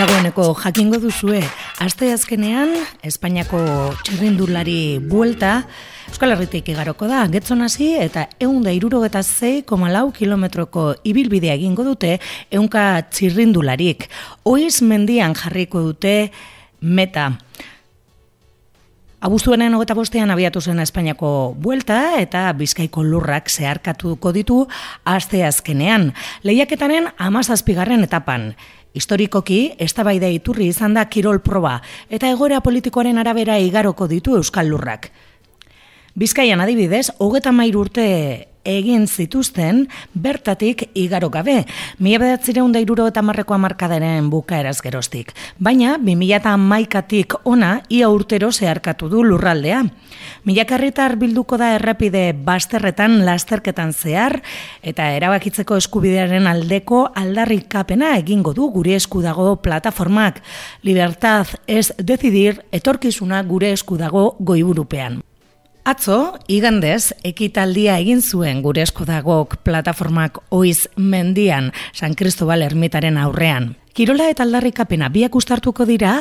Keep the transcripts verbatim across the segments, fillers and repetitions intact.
Dagoeneko jakingo duzue, asteazkenean Espainiako txirrindulari buelta Euskal Herritik igaroko da, Getzon hasi eta ehun eta hirurogeita sei koma lau kilometroko ibilbidea egingo dute ehunka txirrindularik. Oiz mendian jarriko dute meta. Abuztuaren hogeita bostean abiatu zen Espainiako buelta eta Bizkaiko lurrak zeharkatuko ditu asteazkenean. Lehiaketaren hamazazpigarren etapan. Historikoki, eztabaida iturri izan da kirol proba eta egoera politikoaren arabera igaroko ditu Euskal Lurrak. Bizkaian adibidez, hogeita hamairu urte egin zituzten bertatik igaro gabe, mila bederatziehun eta hirurogeita hamarreko hamarkadaren bukaeraz geroztik. Baina, bi mila hamaikatik ona ia urtero zeharkatu du lurraldea. Milaka herritar bilduko da errepide bazterretan lasterketan zehar eta erabakitzeko eskubidearen aldeko aldarrikapena egingo du gure esku dago plataformak. Libertad ez decidir, etorkizuna gure esku dago goiburupean. Atzo, igandez, ekitaldia egin zuen gure esku dagok plataformak Oiz mendian, San Cristobal ermitaren aurrean. Kirola eta aldarrikapena biak uztartuko dira,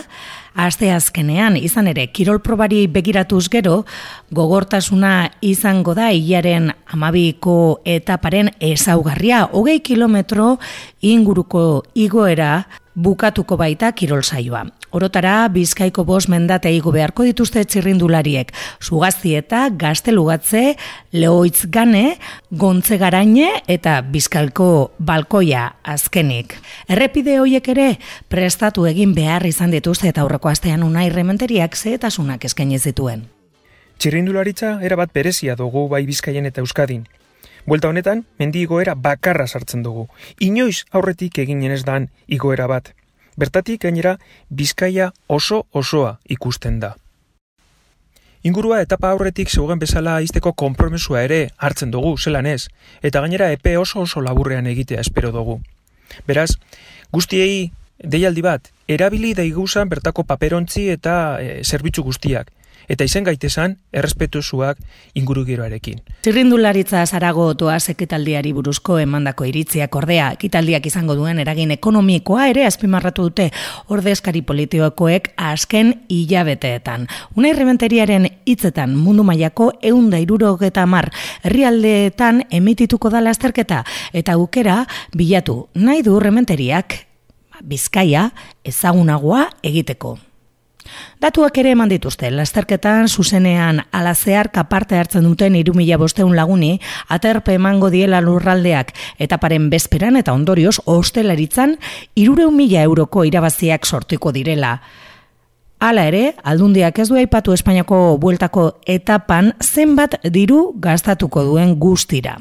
asteazkenean izan ere kirol probari begiratuz gero, gogortasuna izango da hilaren hamabiko etaparen ezaugarria, hogei kilometro inguruko igoera bukatuko baita kirol saioa. Orotara, Bizkaiko bost mendate igo beharko dituzte txirrindulariek, Zugaztieta, Gaztelugatze, Lehoitz Gane, Gontze Garaine eta Bizkaiko Balkoia azkenik. Errepide horiek ere prestatu egin behar izan dituzte eta aurreko astean Unai Rementeriak zehetasunak eskaini zituen. Txirrindularitza erabat berezia dugu bai Bizkaian eta Euskadin. Buelta honetan, mendi igoera bakarra sartzen dugu. Inoiz aurretik eginen ez dan igoera bat. Bertatik gainera Bizkaia oso osoa ikusten da. Ingurua etapa aurretik zeugen bezala izteko konpromesua ere hartzen dugu, zelan ez, eta gainera epe oso oso laburrean egitea espero dugu. Beraz, guztiei deialdi bat, erabili daiguzan bertako paperontzi eta e, zerbitzu guztiak. Eta izen gaitesan, errespetuzuak ingurugiroarekin. Txirrindularitza zarago doaz ekitaldiari buruzko emandako iritziak ordea, ekitaldiak izango duen eragin ekonomikoa ere azpimarratu dute ordezkari politikoek azken hilabeteetan. Unai Rementeriaren hitzetan mundu mailako ehun eta hirurogeita hamar herrialdeetan emitituko da lasterketa eta aukera bilatu nahi du Rementeriak Bizkaia ezagunagoa egiteko. Datuak ere eman dituzte, lasterketan zuzenean ala zeharka parte hartzen duten hiru mila bostehun laguni aterpe emango diela lurraldeak etaparen bezperan eta ondorioz hostelaritzan hirurehun mila euroko irabaziak sortuko direla. Hala ere, Aldundiak ez du aipatu Espainiako bueltako etapan zenbat diru gastatuko duen guztira.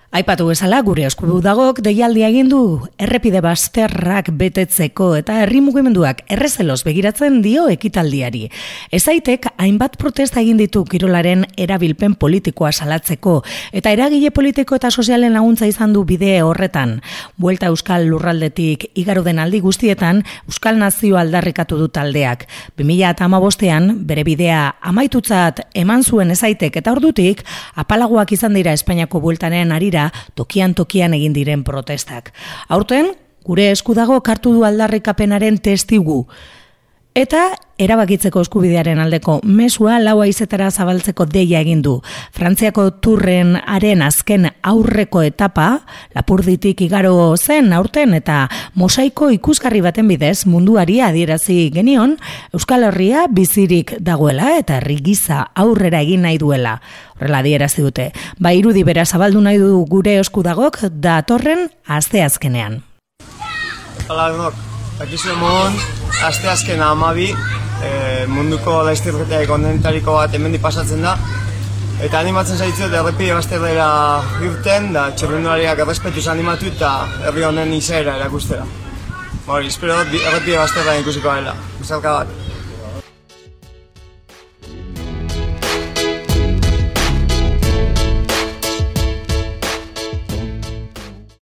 Aipatu bezala gure esku dagok deialdia egin du errepide bazterrak betetzeko eta herri mugimenduak errezeloz begiratzen dio ekitaldiari. Ezaitek hainbat protesta egin ditu kirolaren erabilpen politikoa salatzeko eta eragile politiko eta sozialen laguntza izan du bide horretan. Buelta Euskal Lurraldetik igaro den aldi guztietan Euskal Nazio aldarrikatu du taldeak. bi mila hamabostean bere bidea amaitutzat eman zuen Ezaitek eta ordutik apalagoak izan dira Espainiako bueltaren arira tokian tokian egin diren protestak. Aurten, gure esku dago kartu du aldarrikapenaren testigu. Eta erabakitzeko eskubidearen aldeko mesua lau haizetara zabaltzeko deia egin du. Frantziako turren haren azken aurreko etapa, Lapurditik igaro zen aurten eta mosaiko ikusgarri baten bidez munduari adierazi genion Euskal Herria bizirik dagoela eta herri gisa aurrera egin nahi duela. Horrela adierazi dute. Ba irudi bera zabaldu nahi du gure esku dagok datorren asteazkenean. Hala denok, akizu emon, asteazkena hamabi, e, munduko laizterketaik ondenetariko bat hemendik pasatzen da. Eta animatzen zaitzuet errepide bazterrera irten, da txirrindulariak errespetuz animatu eta herri honen izaera erakustera. Hori, espero dut errepide bazterra ikusiko dela. Bizarka bat.